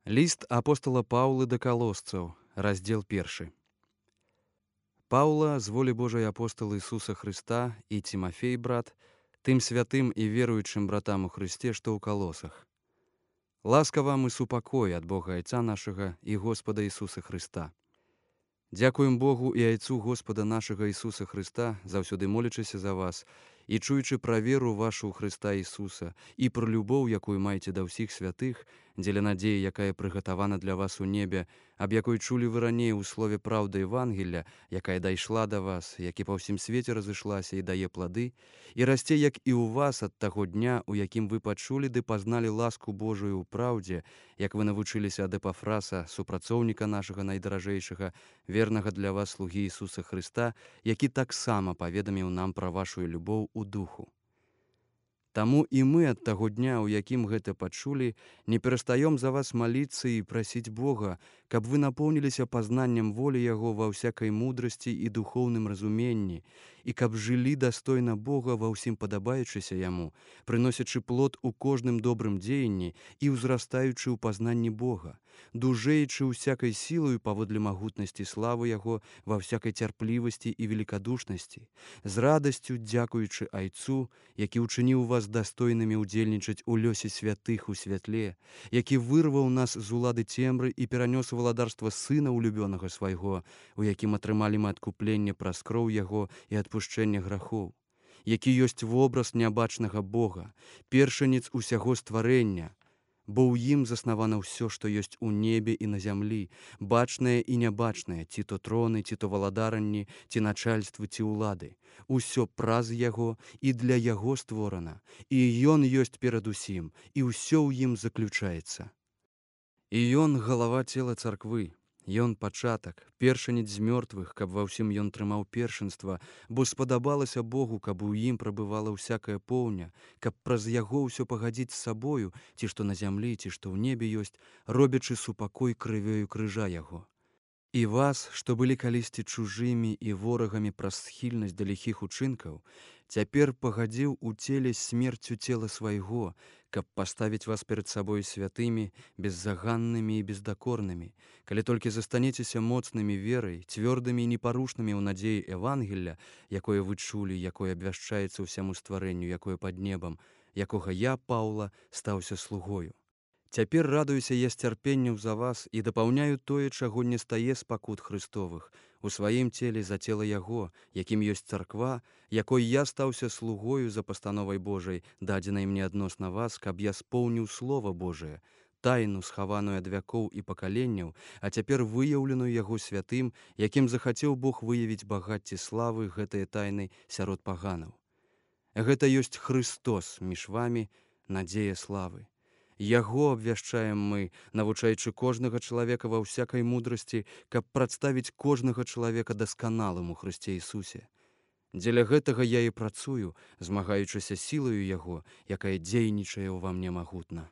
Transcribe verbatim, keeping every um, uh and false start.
Ліст апостала Паўлы да калосцаў, раздзел першы. Паўла, з волі Божай апостал Ісуса Хрыста і Цімафей, брат, тым святым і веруючым братам у Хрысце, што ў калосах. Ласка вам і супакой ад Бога Айца нашага і Господа Ісуса Хрыста. Дзякуем Богу і Айцу Господа нашага Ісуса Хрыста, заўсёды молячыся за вас, і чуючы пра веру вашу ў Хрыста Ісуса, і пра любоў, якую маеце да ўсіх святых, дзеля надзеі, якая прыгатавана для вас у небе, аб якой чулі вы раней у слове праўды Евангелля, якая дайшла да вас, які па ўсім свеце разышлася і дае плады, і расце, як і ў вас ад таго дня, у якім вы пачулі ды пазналі ласку Божую ў праўдзе, як вы навучыліся ад Эпафраса, супрацоўніка нашага найдаражэйшага, вернага для вас слугі Ісуса Хрыста, які таксама паведаміў нам пра вашу любоў у духу. Таму і мы ад таго дня, у якім гэта пачулі, не перастаём за вас маліцца і прасіць Бога, каб вы напоўніліся пазнаннем волі Яго ва ўсякай мудрасці і духоўным разуменні, і каб жылі дастойна Бога ва ўсім падабаючыся Яму, прыносячы плод у кожным добрым дзеянні і ўзрастаючы ў пазнанні Бога, дужэючы ўсякай сілаю паводле магутнасці славы Яго ва ўсякай цярплівасці і великадушнасці, з радасцю дзякуючы Айцу, які ўчыніў вас дастойнымі ўдзельнічаць у лёсе святых у святле, які вырваў нас з улады цемры і перанёс валадарства Сына улюбёнага свайго, у якім атрымалі мы адкупленне праз кроў Яго і адпушчэнне грахоў, які ёсць вобраз нябачнага Бога, першаніц усяго стварэння, бо ў ім заснавана ўсё, што ёсць у небе і на зямлі, бачнае і нябачнае, ці то троны, ці то валадаранні, ці начальствы, ці ўлады. Усё праз Яго і для Яго створана, і Ён ёсць перад усім, і ўсё ў ім заключаецца. І Ён — галава цела царквы, Ён пачатак, першаніц з мёртвых, каб ва ўсім ён трымаў першынства, бо спадабалася Богу, каб у ім прабывала ўсякая поўня, каб праз Яго ўсё пагадзіць з сабою, ці што на зямлі, ці што ў небе ёсць, робячы супакой крывёю крыжа Яго. І вас, што былі калісьці чужымі і ворагамі праз схільнасць да ліхіх учынкаў, цяпер пагадзіў у целе смерцю цела свайго, каб паставіць вас перад сабой святымі, беззаганнымі і бездакорнымі, калі толькі застанецеся моцнымі верай, цвёрдымі і непарушнымі ў надзеі Евангелля, якое вы чулі, якое абвяшчаецца ўсяму стварэнню, якое пад небам, якога я, Паўла, стаўся слугою. Цяпер радуюся я з цярпенняў за вас і дапаўняю тое, чаго не стае з пакут Хрыстовых, у сваім целе за цела Яго, якім ёсць царква, якой я стаўся слугою за пастановай Божай, дадзенай мне адносна вас, каб я споўніў Слова Божае, тайну, схаваную ад вякоў і пакаленняў, а цяпер выяўленую Яго святым, якім захацеў Бог выявіць багацце славы гэтае тайны сярод паганаў. Гэта ёсць Хрыстос між вамі, надзея славы. Яго абвяшчаем мы, навучаючы кожнага чалавека ва ўсякай мудрасці, каб прадставіць кожнага чалавека дасканалым у Хрысце Ісусе. Дзеля гэтага я і працую, змагаючыся сілаю Яго, якая дзейнічае ўва мне магутна.